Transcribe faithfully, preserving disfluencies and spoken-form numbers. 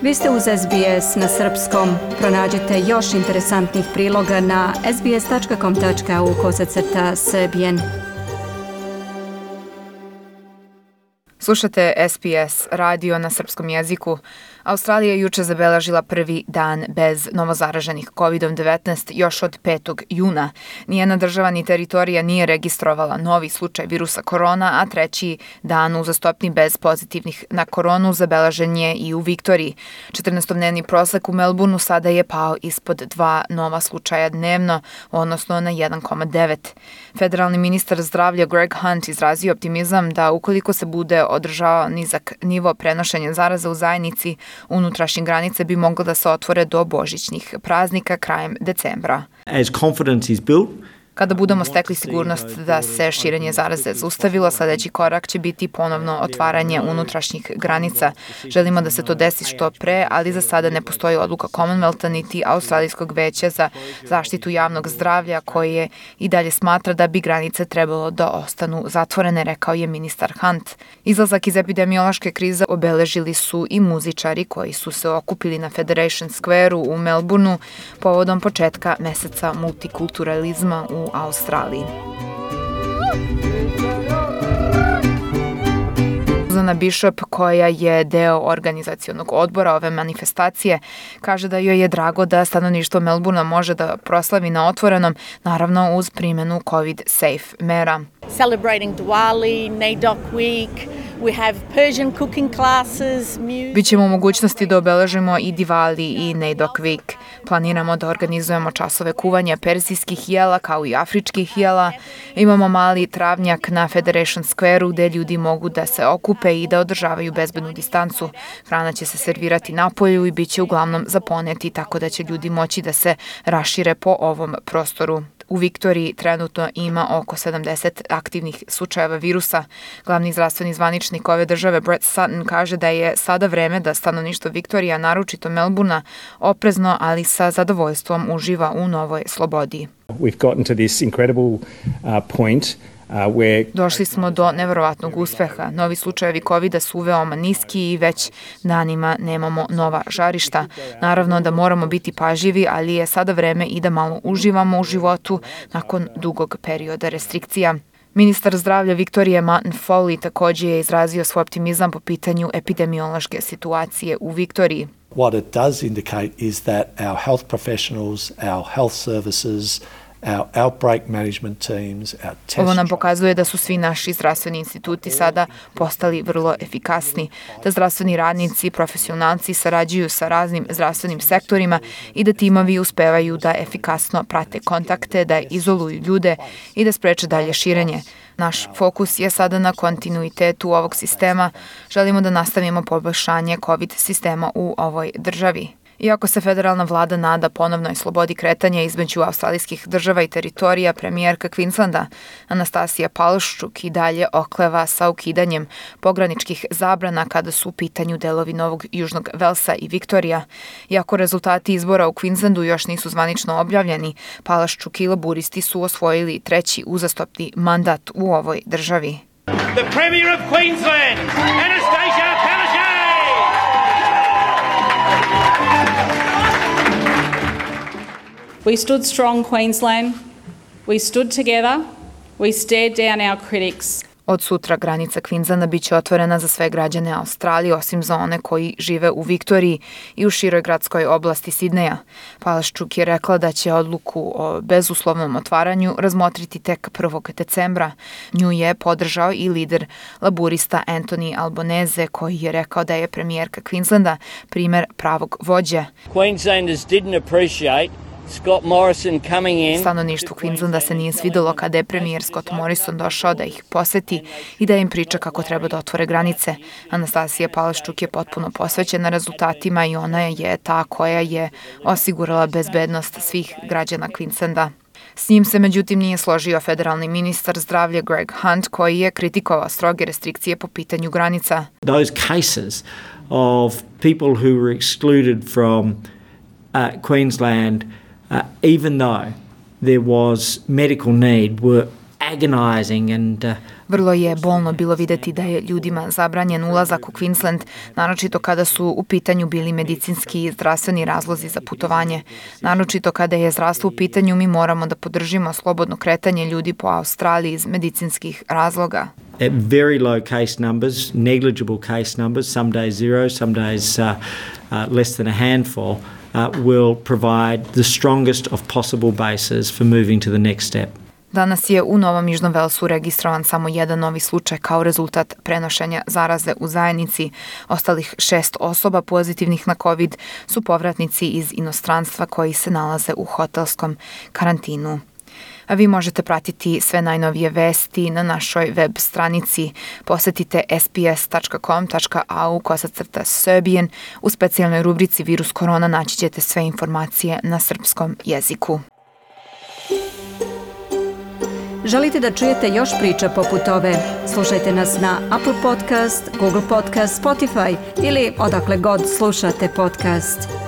Vi ste uz S B S na srpskom. Pronađite još interesantnih priloga na sbs.com.au kosacrta srbijen. Slušate S B S radio na srpskom jeziku. Australija je juče zabeležila prvi dan bez novozaraženih kovid devetnaest još od petog juna. Nijedna država ni teritorija nije registrovala novi slučaj virusa korona, a treći dan uzastopni bez pozitivnih na koronu zabeležen je i u Viktoriji. četrnaestodnevni prosek u Melbourneu sada je pao ispod dva nova slučaja dnevno, odnosno na jedan zarez devet. Federalni ministar zdravlja Greg Hunt izrazio optimizam da ukoliko se bude održavao nizak nivo prenošenja zaraza u zajednici, unutrašnje granice bi moglo da se otvore do božićnih praznika krajem decembra. As confidence is built, Kada budemo stekli sigurnost da se širenje zaraze zaustavilo, sledeći korak će biti ponovno otvaranje unutrašnjih granica. Želimo da se to desi što pre, ali za sada ne postoji odluka Commonwealtha niti Australijskog veća za zaštitu javnog zdravlja koje i dalje smatra da bi granice trebalo da ostanu zatvorene, rekao je ministar Hunt. Izlazak iz epidemiološke krize obeležili su i muzičari koji su se okupili na Federation Square-u u Melbourneu povodom početka meseca multikulturalizma u Australiji. Susana Bishop, koja je deo organizacionog odbora ove manifestacije, kaže da joj je drago da stanovništvo Melbournea može da proslavi na otvorenom, naravno uz primjenu COVID-safe mera. Celebrating Diwali, NAIDOC Week, we have Persian cooking classes, music. Bićemo u mogućnosti da obeležimo i Diwali i NAIDOC Week. Planiramo da organizujemo časove kuvanja perzijskih jela kao i afričkih jela. Imamo mali travnjak na Federation Square-u gde ljudi mogu da se okupe i da održavaju bezbednu distancu. Hrana će se servirati napolju i bit će uglavnom za poneti, tako da će ljudi moći da se rašire po ovom prostoru. U Viktoriji trenutno ima oko sedamdeset aktivnih slučajeva virusa. Glavni zdravstveni zvaničnik ove države Brett Sutton kaže da je sada vreme da stanovništvo Viktorija, naročito Melbournea, oprezno, ali sa zadovoljstvom uživa u novoj slobodi. We've gotten to this incredible uh, point uh, where Došli smo do neverovatnog uspeha. Novi slučajevi kovida su veoma niski i već danima nemamo nova žarišta. Naravno da moramo biti pažljivi, ali je sada vreme i da malo uživamo u životu nakon dugog perioda restrikcija. Ministar zdravlja Viktorije Martin Foley također je izrazio svoj optimizam po pitanju epidemiološke situacije u Viktoriji. What it does indicate is that our health professionals, our health services, our outbreak management teams, our test Ovo nam pokazuje da su svi naši zdravstveni instituti sada postali vrlo efikasni, da zdravstveni radnici i profesionalci sarađuju sa raznim zdravstvenim sektorima i da timovi uspevaju da efikasno prate kontakte, da izoluju ljude i da spreče dalje širenje. Naš fokus je sada na kontinuitetu ovog sistema. Želimo da nastavimo poboljšanje COVID sistema u ovoj državi. Iako se federalna vlada nada ponovnoj slobodi kretanja između australijskih država i teritorija, premijerka Queenslanda Anastasija Palaszczuk i dalje okleva sa ukidanjem pograničkih zabrana kada su u pitanju delovi Novog Južnog Velsa i Viktorija. Iako rezultati izbora u Queenslandu još nisu zvanično objavljeni, Palaszczuk i laburisti su osvojili treći uzastopni mandat u ovoj državi. The Premier of Queensland, Anastasia Palaszczuk. We stood strong, Queensland. We stood together. We stared down our critics. Od sutra granica Queenslanda biće otvorena za sve građane Australije, osim za one koji žive u Viktoriji i u široj gradskoj oblasti Sidneja. Palaszczuk je rekla da će odluku o bezuslovnom otvaranju razmotriti tek prvog decembra. Nju je podržao i lider laburista Anthony Albanese, koji je rekao da je premijerka Queenslanda primer pravog vođe. Queenslanders didn't appreciate Scott Morrison coming in. Stanovništvu Queenslanda se nije svidelo kada je premijer Scott Morrison došao da ih poseti i da im priča kako treba da otvore granice. Anastasija Palaszczuk je potpuno posvećena rezultatima i ona je ta koja je osigurala bezbednost svih građana Queenslanda. S njim se međutim nije složio federalni ministar zdravlja Greg Hunt, koji je kritikovao stroge restrikcije po pitanju granica. those cases of people who were excluded from uh, Queensland, uh, even though there was medical need, were agonizing and uh, Vrlo je bolno bilo videti da je ljudima zabranjen ulazak u Queensland, naročito kada su u pitanju bili medicinski i zdravstveni razlozi za putovanje. Naročito kada je zdravstvo u pitanju, mi moramo da podržimo slobodno kretanje ljudi po Australiji iz medicinskih razloga. at very low case numbers, negligible case numbers, some days zero, some days uh, uh, less than a handful, uh, will provide the strongest of possible bases for moving to the next step. Danas je u Novom Južnom Velsu registrovan samo jedan novi slučaj kao rezultat prenošenja zaraze u zajednici. Ostalih šest osoba pozitivnih na COVID su povratnici iz inostranstva koji se nalaze u hotelskom karantinu. A vi možete pratiti sve najnovije vesti na našoj web stranici. Posetite sbs.com.au kosacrta Serbian. U specijalnoj rubrici Virus korona naći ćete sve informacije na srpskom jeziku. Želite da čujete još priča poput ove? Slušajte nas na Apple Podcast, Google Podcast, Spotify ili odakle god slušate podcast.